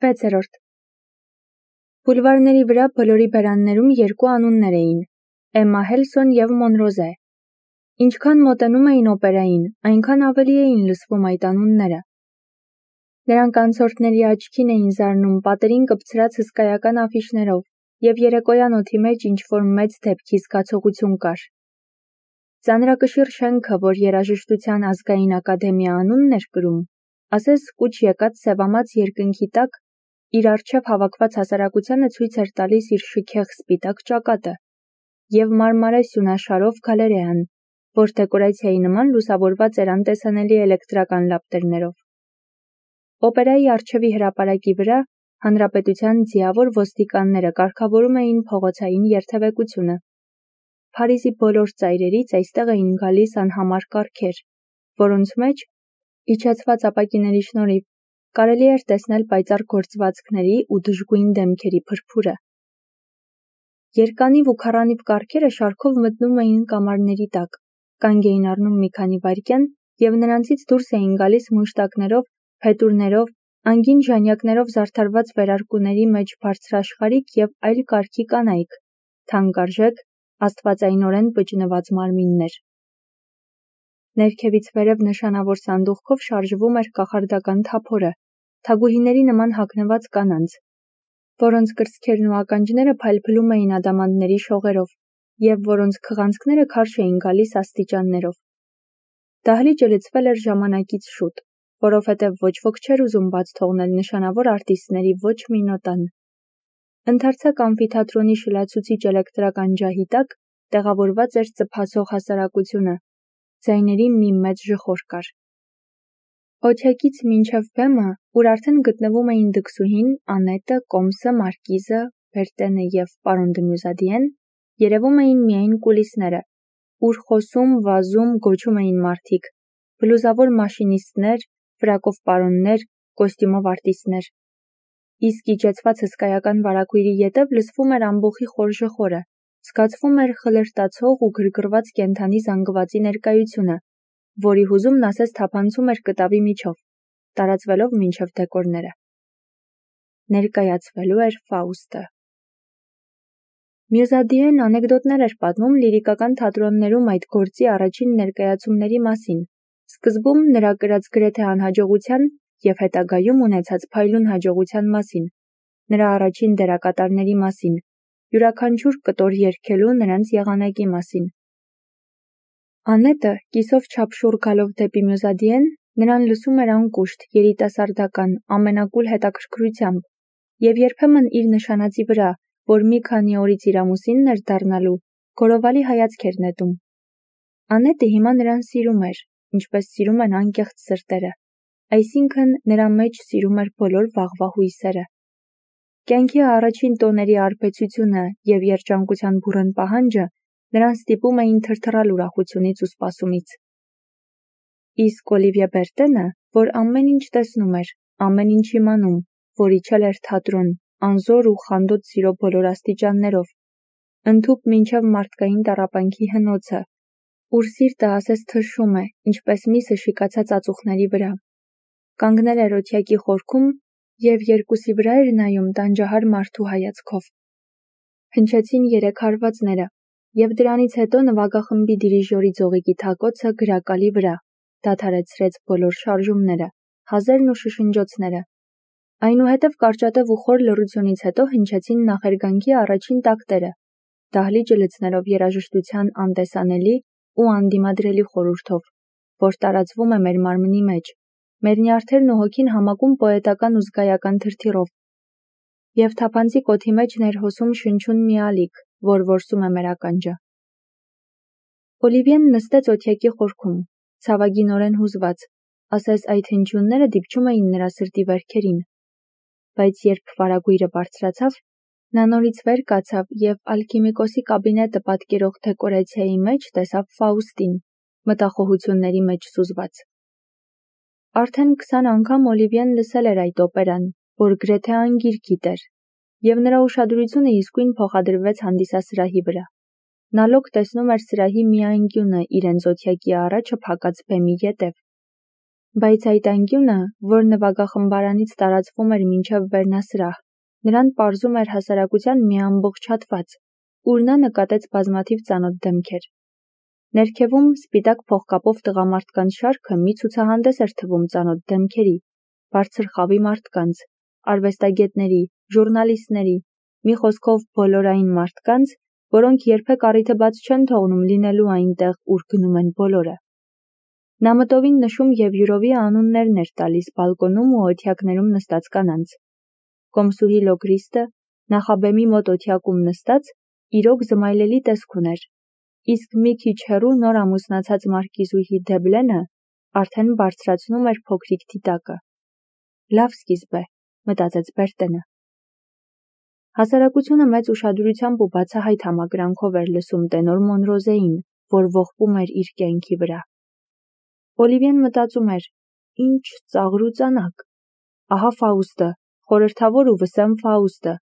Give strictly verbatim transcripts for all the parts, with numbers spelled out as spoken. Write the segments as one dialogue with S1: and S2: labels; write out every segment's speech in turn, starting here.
S1: վեցերորդ. Բուլվարների վրա բոլորի բերաններում երկու անուններ էին՝ Էմմա Հելսոն և Մոնրոզե։ Ինչքան մոտենում էին օպերային, այնքան ավելի էին լսվում այդ անունները։ Նրանք անցորդների աչքին էին զարնում պատերին կպցրած հսկայական աֆիշներով, և երեկոյան օդի մեջ ինչ-որ մեծ դեպքի զգացողություն կար։ Ծանրակշիռ շենքը, որ երաժշտության ազգային ակադեմիա անունն էր կրում, ասես կուչ եկած սևամած երկնքի տակ իր առջև հավաքված հասարակությանը ցույց էր տալիս իր շքեղ սպիտակ ճակատը, և մարմարե սյունաշարով գալերեան, որ դեկորացիայի նման լուսավորված էր անտեսանելի էլեկտրական լապտերներով։ Օպերայի առջևի հրապարակի վրա հանրապետության ձիավոր ոստիկանները կարգավորում էին փողոցային երթևեկությունը։ Փարիզի բոլոր ծայրերից այստեղ էին գալիս անհամար կառքեր, որոնց մեջ, իջեցված ապակիների շնորհիվ, կարելի էր տեսնել պայծառ գործվածքների ու դժգույն դեմքերի փրփուրը։ Երկանիվ ու քառանիվ կառքերը շարքով մտնում էին կամարների տակ, կանգ էին առնում մի քանի վայրկյան և նրանցից դուրս էին գալիս մուշտակներով, փետուրներով, անգին ժանյակներով զարդարված վերարկուների մեջ բարձրաշխարհիկ և այլ կարգի կանայք, թանկարժեք, աստվածայնորեն բջնված մարմիններ։ Ներքևից վերև նշանավոր սանդուղքով շարժվում էր կախարդական թափորը, թագուհիների նման հագնված կանանց, որոնց կրծքերն ու ականջները փայլփլում էին ադամանդների շողերով, և որոնց քղանցքները քարշ էին գալիս աստիճաններով։ Դահլիճը լցվել էր ժամանակից շուտ, որովհետև ոչ ոք չէր ուզում բաց թողնել նշանավոր արտիստների ոչ մի նոտան։ Ընդարձակ ամֆիթատրոնի շլացուցիչ էլեկտրական ջահի տակ տեղավորված էր ծփացող հասարակությունը, ձայների մի մեծ ժխոր կար։ Օթյակից մինչև բեմը, ուր արդեն գտնվում էին դքսուհին, Անետը, Կոմսը, Մարկիզը, Բերտենը և պարոն դը Մյուզադիեն, երևում էին միայն կուլիսները, ուր խոսում, վազում, գոչում էին մարդիկ, բլուզավոր մաշինիստներ, ֆրակով պարոններ, կոստյումով արտիստներ։ Իսկ իջեցված հսկայական վարագույրի ետև լսվում էր ամբոխի խոր ժխորը, զգացվում էր խլրտացող ու գրգռված կենդանի զանգվածի ներկայությունը, որի հուզումն ասես թափանցում էր կտավի միջով, տարածվելով մինչև դեկորները։ Ներկայացվելու էր Ֆաուստը։ Մյուզադիեն անեկդոտներ էր պատմում լիրիկական թատրոններում այդ գործի առաջին ներկայացումների մասին, սկզբում նրա կրած գրեթե անհաջողության և հետագայում ունեցած փայլուն հաջողության մասին, նրա առաջին դերակատարների մասին, յուրաքանչյուր կտոր երգելու նրանց եղանակի մասին։ Անետը, կիսով չափշուռ գալով դեպի Մյուզադիեն, նրան լսում էր անկուշտ, երիտասարդական, ամենակուլ հետաքրքրությամբ, և երբեմն իր նշանածի վրա, որ մի քանի օրից իր ամուսինն էր դառնալու, գորովալի հայացք էր նետում։ Անետը հիմա նրան սիրում էր, ինչպես սիրում են անկեղծ սրտերը, այսինքն նրա մեջ սիրում էր բոլոր վաղվա հույսերը։ Կյանքի առաջին տոների արբեցությունը և երջանկության բուռն պահանջը նրան ստիպում էին թրթռալ ուրախությունից ու սպասումից։ Իսկ Օլիվիե Բերտենը, որ ամեն ինչ տեսնում էր, ամեն ինչ իմանում, որ իջել էր թատրոն, անզոր ու խանդոտ սիրո բոլոր աստիճաններով, ընդհուպ մինչև մարդկային տառապանքի հնոցը, ուր սիրտը ասես թշում է, ինչպես միսը շիկացած ածուխների վրա, կանգնել էր օթյակի խորքում և երկուսի վրա էր նայում տանջահար մարդու հայացքով։ Հնչեցին երեք հարվածները, և դրանից հետո նվագախմբի դիրիժորի ձողիկի թակոցը գրակալի վրա դադարեցրեց բոլոր շարժումները, հազերն ու շշնջոցները։ Այնուհետև կարճատև ու խոր լռությունից հետո հնչեցին նախերգանքի առաջին տակտերը, դահլիճը լցնելով երաժշտության անտեսանելի ու անդիմադրելի խորհուրդով, որ տարածվում է մեր մարմնի մեջ, մեր նյարդերն ու հոգին համակում պոետական ու զգայական թրթիռով, և թափանցիկ օդի մեջ ներհոսում շնչուն մի ալիք, որ որսում է մեր ականջը։ Օլիվիեն նստեց օթյակի խորքում, ցավագինորեն հուզված, ասես այդ հնչյունները դիպչում էին նրա սրտի վերքերին։ Բայց երբ վարագույրը բարձրացավ, նա նորից վեր կացավ և ալքիմիկոսի կաբինետը պատկերող դեկորացիայի մեջ տեսավ Ֆաուստին, մտախոհությունների մեջ սուզված։ Արդեն քսան անգամ Օլիվիեն լսել էր այդ օպերան, որ գրեթե անգիր գիտեր, և նրա ուշադրությունը իսկույն փոխադրվեց հանդիսասրահի վրա։ Նա լոկ տեսնում էր սրահի մի անկյունը իրենց օթյակի առաջը փակած բեմի ետև։ Բայց այդ անկյունը, որ նվագախմբարանից տարածվում էր մինչև վերնասրահ, նրան պարզում էր հասարակության մի ամբողջ հատված, ուր նա նկատեց բազմաթիվ ծանոթ դեմքեր։ Ներքևում սպիտակ փողկապով տղամարդկանց շարքը մի ցուցահանդես էր թվում ծանոթ դեմքերի, բարձր խավի մարդկանց, արվեստագետների, ժուռնալիստների, մի խոսքով բոլորային մարդկանց, որոնք երբեք առիթը բաց չեն թողնում լինելու այնտեղ, ուր գնում են բոլորը։ Նա մտովին նշում և յուրովի անուններն էր տալիս բալկոնում ու օթյակներում նստած կանանց։ Կոմսուհի Լոկրիստը, նախաբեմի մոտ օթյակում նստած, իրոք զմայլելի տեսք ուներ, իսկ մի քիչ հեռու նոր ամուսնացած մարկիզուհի Դեբլենը արդեն բարձրացնում էր փոքրիկ դիտակը։ Լավ սկիզբ է, մտածեց Բերտենը։ Հասարակությունը մեծ ուշադրությամբ ու բացահայտ համակրանքով էր լսում տենոր Մոնրոզեին, որ ողբում էր իր կյանքի վրա։ Օլիվիեն մտածում էր. ինչ ծաղր ու ծանակ։ Ահա Ֆաուստը, խորհրդավոր ու վսեմ Ֆաուստը։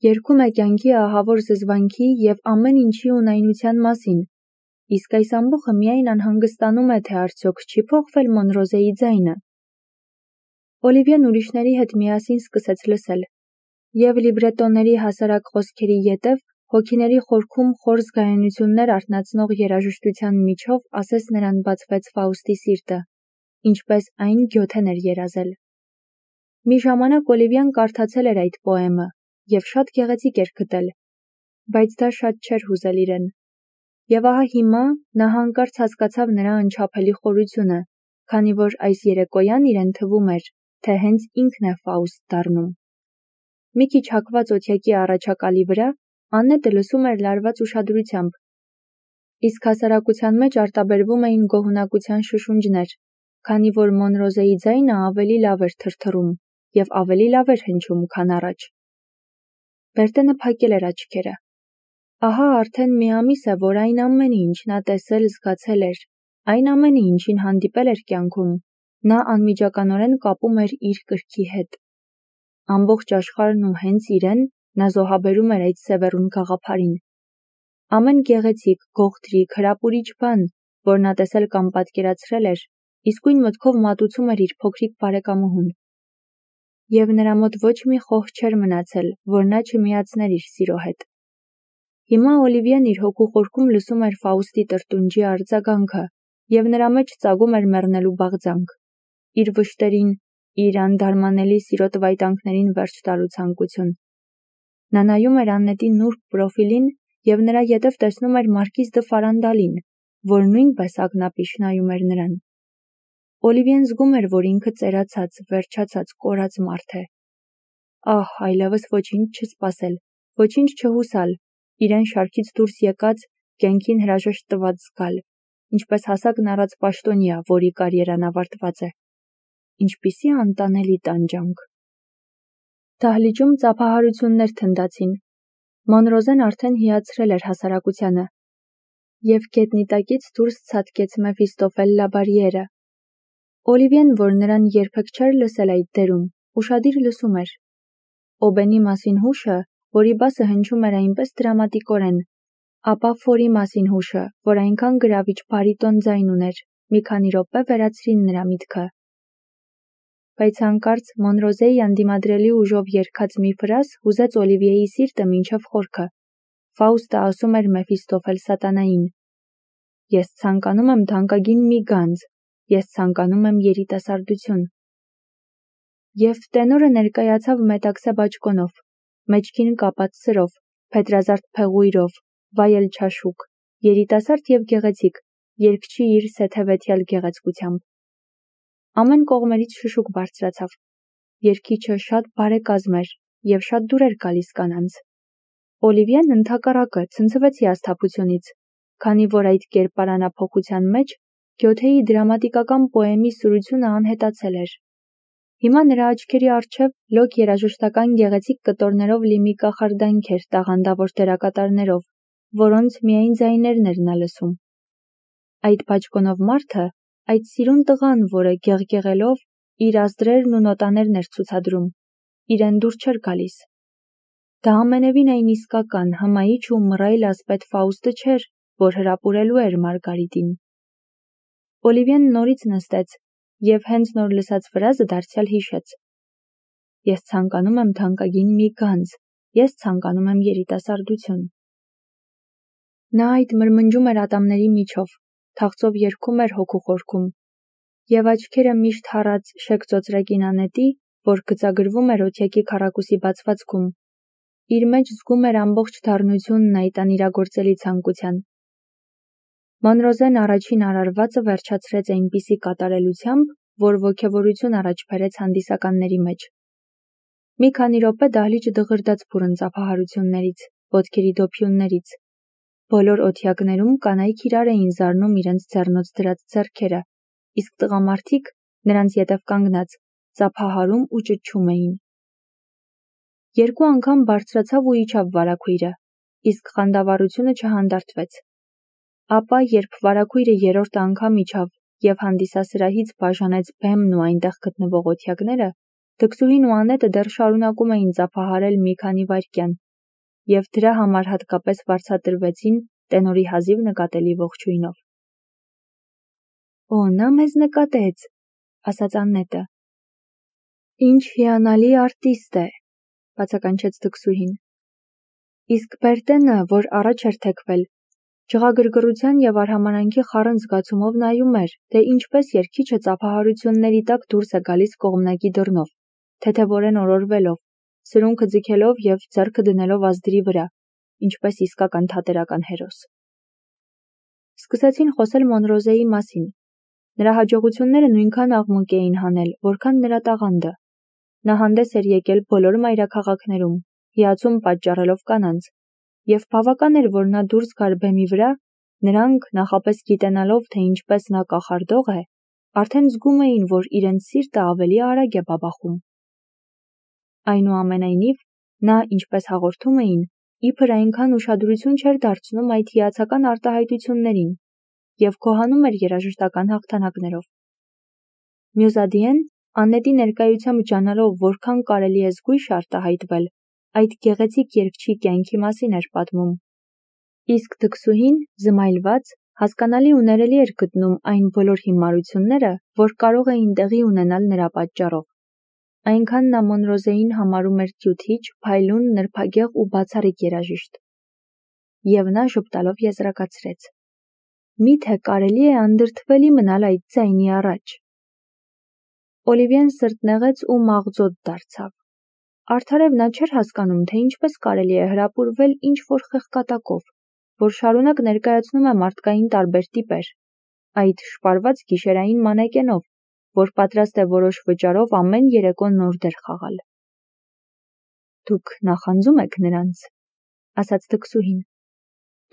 S1: Երգում է կյանքի ահավոր զզվանքի և ամեն ինչի ունայնության մասին, իսկ այս ամբոխը միայն անհանգստանում է, թե արդյոք չի փոխվել Մոնրոզեի ձայնը։ Օլիվիեն ուրիշների հետ միասին սկսեց լսել, և լիբրետոների հասարակ խոսքերի ետև հոգիների խորքում խոր զգայունություններ արթնացնող երաժշտության միջով ասես նրան բացվեց Ֆաուստի սիրտը, ինչպես այն գյոթեն էր երազել։ Մի ժամանակ Օլիվիան կարդացել էր այդ պոեմը և շատ գեղեցիկ էր գտել, բայց դա շատ չէր հուզել իրեն։ Եվ ահա հիմա նա հանկարծ հասկացավ նրա անչափելի խորությունը, քանի որ այս երեկոյան իրեն թվում էր, թե հենց ինքն է Ֆաուստ դառնում։ Մի քիչ հակված օթյակի առաջակալի վրա Աննետը լսում էր լարված ուշադրությամբ, իսկ հասարակության մեջ արտաբերվում էին գոհունակության շշունջներ, քանի որ Մոնրոզեի ձայնը ավելի լավ էր թրթռում և ավելի լավ էր հնչում, քան առաջ։ Բերտենը փակել էր աչքերը։ Ահա արդեն մի ամիս է, որ այն ամենը, ինչ նա տեսել, զգացել էր, այն ամենը, ինչին հանդիպել էր կյանքում, նա անմիջականորեն կապում էր իր կրքի հետ։ Ամբողջ աշխարհն ու հենց իրեն նա զոհաբերում էր այդ սևեռուն գաղափարին։ Ամեն գեղեցիկ, գողտրիկ, հրապուրիչ բան, որ նա տեսել կամ պատկերացրել էր, իսկույն մտքով մատուցում էր իր փոքրիկ բարեկամուհուն։ Եվ նրա մոտ ոչ մի խոհ չէր մնացել, որ նա չմիացներ իր սիրո հետ։ Հիմա Օլիվիեն իր հոգու խորքում լսում էր Ֆաուստի տրտունջի արձագանքը և նրա մեջ ծագում էր մեռնելու բաղձանք, իր վշտերին, իր անդարմանելի սիրո տվայտանքներին վերջ տալու ցանկություն։ Նա նայում էր Աննետի նուրբ պրոֆիլին և նրա ետև տեսնում էր Մարկիզ դը Ֆարանդալին, որ նույնպես ակնապիշ նայում էր նրան։ Օլիվիեն զգում էր, որ ինքը ծերացած, վերջացած, կորած մարդ է։ Ահ, այլևս ոչինչ չսպասել, ոչինչ չհուսալ, իրեն շարքից դուրս եկած, կյանքին հրաժեշտ տված զգալ, ինչպես հասակն առած պաշտոնյա, որի կարիերան ավարտված է։ Ինչպիսի անտանելի տանջանք։ Դահլիճում ծափահարություններ թնդացին։ Մոնրոզեն արդեն հիացրել էր հասարակությանը, և գետնի տակից դուրս ցատկեց Մեֆիստոֆել Լաբարիերը։ Օլիվիեն, որ նրան երբեք չէր լսել այդ դերում, ուշադիր լսում էր։ Օբենի մասին հուշը, որի բասը հնչում էր այնպես դրամատիկորեն, ապա Ֆորի մասին հուշը, որ այնքան գրավիչ բարիտոն ձայն ուներ, մի քանի րոպե վերացրին նրա միտքը։ Բայց հանկարծ Մոնրոզեի անդիմադրելի ուժով երգած մի ֆրազ հուզեց Օլիվիեի սիրտը մինչև խորքը։ Ֆաուստը ասում էր Մեֆիստոֆել սատանային. «Ես ցանկանում եմ թանկագին մի գանձ, ես ցանկանում եմ երիտասարդություն»։ Եվ տենորը ներկայացավ մետաքսե բաճկոնով, մեջքին կապած սրով, փետրազարդ փեղույրով, վայել չաշուկ, երիտասարդ և գեղեցիկ, երգչի իր սեթևեթյալ գեղեցկությամբ։ Ամեն կողմերից շշուկ բարձրացավ։ Երգիչը շատ բարեկազմ էր և շատ դուր էր գալիս կանանց։ Օլիվիեն ընդհակառակը ցնցվեց հիասթափությունից, քանի որ այդ կերպարանափոխության մեջ Գյոթեի դրամատիկական պոեմի սուրությունը անհետացել էր։ Հիմա նրա աչքերի առջև լոկ երաժշտական գեղեցիկ կտորներով լի մի կախարդանք էր տաղանդավոր դերակատարներով, որոնց միայն ձայներն էր նա լսում։ Այդ բաճկոնով մարդը, այդ սիրուն տղան, որը գեղգեղելով իր ազդրերն ու նոտաներն էր ցուցադրում, իրեն դուր չէր գալիս։ Դա ամենևին այն իսկական, հմայիչ ու մռայլ ասպետ Ֆաուստը չէր, որ հրապուրելու էր Մարգարիտին։ Օլիվիեն նորից նստեց և հենց նոր լսած ֆրազը դարձյալ հիշեց. «Ես ցանկանում եմ թանկագին մի գանձ, ես ցանկանում եմ երիտասարդություն»։ Նա այդ մրմնջում էր ատամների միջով, թախծով երգում էր հոգու խորքում, և աչքերը միշտ հառած շեքծոծրեկին Անետի, որ գծագրվում էր օթյակի քառակուսի բացվածքում, իր մեջ զգում էր ամբողջ դառնությունն այդ անիրագործելի ցանկության։ Մանրոզեն առաջին արարվածը վերջացրեց այնպիսի կատարելությամբ, որ ոգևորություն առաջ բերեց հանդիսականների մեջ։ Մի քանի րոպե դահլիճը դղրդաց փուրն ծափահարություններից, ոտքերի դոփյուններից։ Բոլոր օթյակներում կանայք իրար էին զարնում իրենց ձեռնոց դրած ձեռքերը, իսկ տղամարդիկ, նրանց ետև կանգնած, ծափահարում ու ճչում էին։ Երկու անգամ բարձրացավ ու իջավ վարագույրը, իսկ խանդավառությունը չհանդարտվեց։ Ապա, երբ վարագույրը երրորդ անգամ իջավ և հանդիսասրահից բաժանեց բեմն ու այնտեղ գտնվող օթյակները, դքսուհին ու Անետը դեռ շարունակում էին ծափահարել մի քանի վայրկյան, և դրա համար հատկապես վարձատրվեցին տենորի հազիվ նկատելի ողջույնով։ «Օ, նա մեզ նկատեց», ասաց Անետը։ «Ինչ հիանալի արտիստ է», բացականչեց դքսուհին։ Իսկ Բերտենը, որ առաջ էր թեքվել, ջղագրգռության և արհամարհանքի խառն զգացումով նայում էր, թե ինչպես երգիչը ծափահարությունների տակ դուրս է գալիս կողմնակի դռնով, թեթևորեն օրորվելով, սրունքը ձգելով և ձեռքը դնելով ազդրի վրա, ինչպես իսկական թատերական հերոս։ Սկսեցին խոսել Մոնրոզեի մասին։ Նրա հաջողությունները նույնքան աղմուկ էին հանել, որքան նրա տաղանդը։ Նա հանդես էր եկել բոլոր մայրաքաղաքներում, հիացում պատճառելով կանանց, և բավական էր, որ նա դուրս գար բեմի վրա, նրանք, նախապես գիտենալով, թե ինչպես նա կախարդող է, արդեն զգում էին, որ իրենց սիրտը ավելի արագ է բաբախում։ Այնուամենայնիվ, նա, ինչպես հաղորդում էին, իբր այնքան ուշադրություն չէր դարձնում այդ հիացական արտահայտություններին և գոհանում էր երաժշտական հաղթանակներով։ Մյուզադիեն, Անետի ներկայությամբ ջանալով որքան կարելի է զգույշ արտահայտվել, այդ գեղեցիկ երգչի կյանքի մասին էր պատմում։ Իսկ դքսուհին, զմայլված, հասկանալի ու ներելի էր գտնում այն բոլոր հիմարությունները, որ կարող էին տեղի ունենալ նրա պատճառով։ Այնքան նա Մոնրոզեին համարում էր կյութիչ, փայլուն, նրբագեղ ու բացառիկ երաժիշտ։ Եվ նա ժպտալով եզրակացրեց. «Մի՞թե կարելի է անդրդվելի մնալ այդ ձայնի առաջ»։ Օլիվիեն սրտնեղեց ու մաղձոտ դարձավ։ Արդարև նա չէր հասկանում, թե ինչպես կարելի է հրապուրվել ինչ-որ խեղկատակով, որ շարունակ ներկայացնում է մարդկային տարբեր տիպեր, այդ շպարված գիշերային մանեկենով, որ պատրաստ է որոշ վճարով ամեն երեկո նոր դեր խաղալ։ «Դուք նախանձում եք նրանց», ասաց դքսուհին։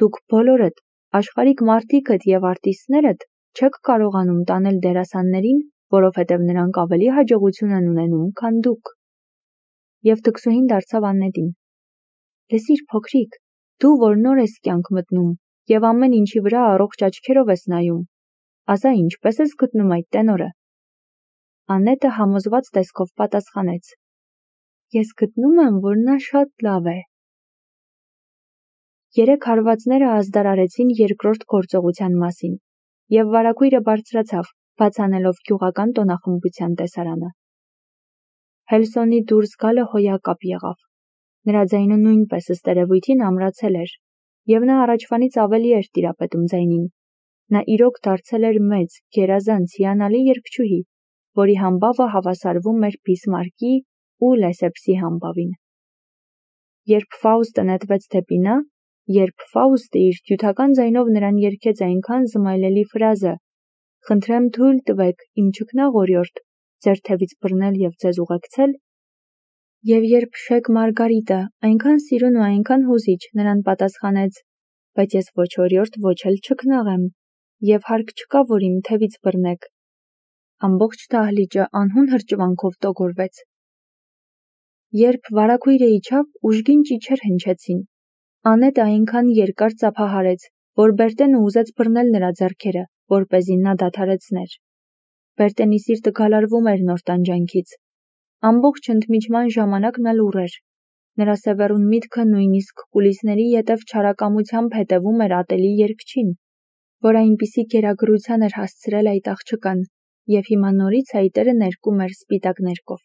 S1: «Դուք բոլորդ, աշխարհիկ մարդիկդ և արտիստներդ չեք կարողանում տանել դերասաններին, որովհետև նրանք ավելի հաջողություն են ունենում, քան դուք»։ Եվ դքսուհին դարձավ Անետին. «Լսիր, փոքրիկ, դու, որ նոր ես կյանք մտնում և ամեն ինչի վրա առողջ աչքերով ես նայում, ասա, ինչպե՞ս ես գտնում այդ տենորը»։ Անետը համոզված տեսքով պատասխանեց. «Ես գտնում եմ, որ նա շատ լավ է»։ Երեք հարվածները ազդարարեցին երկրորդ գործողության մասին, և վարագույրը բարձրացավ, բաց անելով գյուղական տոնախմբության տեսարանը։ Հելսոնի դուրս գալը հոյակապ եղավ։ Նրա ձայնը նույնպես ըստ երևույթին ամրացել էր, և նա առաջվանից ավելի էր տիրապետում ձայնին։ Նա իրոք դարձել էր մեծ, գերազանց, հիանալի երգչուհի, որի համբավը հավասարվում էր Բիսմարկի ու Լեսեպսի համբավին։ Երբ Ֆաուստը նետվեց դեպի նա, երբ Ֆաուստը իր հյութական ձայնով նրան երգեց այնքան զմայլելի ֆրազը. «Խնդրեմ թույլ տվեք, իմ ճգնաղ օրիորդ, ձեր թևից բռնել և ձեզ ուղեկցել», և երբ Շեկ Մարգարիտը, այնքան սիրուն ու այնքան հուզիչ, նրան պատասխանեց. «Բայց ես ոչ օրիորդ, ոչ էլ ճգնաղ եմ, և հարկ չկա, որ իմ թևից բռնեք», ամբողջ դահլիճը անհուն հրճվանքով տոգորվեց։ Երբ վարագույրը իջավ, ուժգին ճիչեր հնչեցին։ Անետը այնքան երկար ծափահարեց, որ Բերտենը ուզեց բռնել նրա ձեռքերը, որպեսզի նա դադարեցներ։ Բերտենի սիրտը գալարվում էր նոր տանջանքից։ Ամբողջ ընդմիջման ժամանակ նա լուռ էր։ Նրա սևեռուն միտքը նույնիսկ կուլիսների ետև չարակամությամբ հետևում էր ատելի երգչին, որ այնպիսի գերագրության էր հասցրել այդ աղջկան, և հիմա նորից հայտերը ներկում էր սպիտակ ներկով: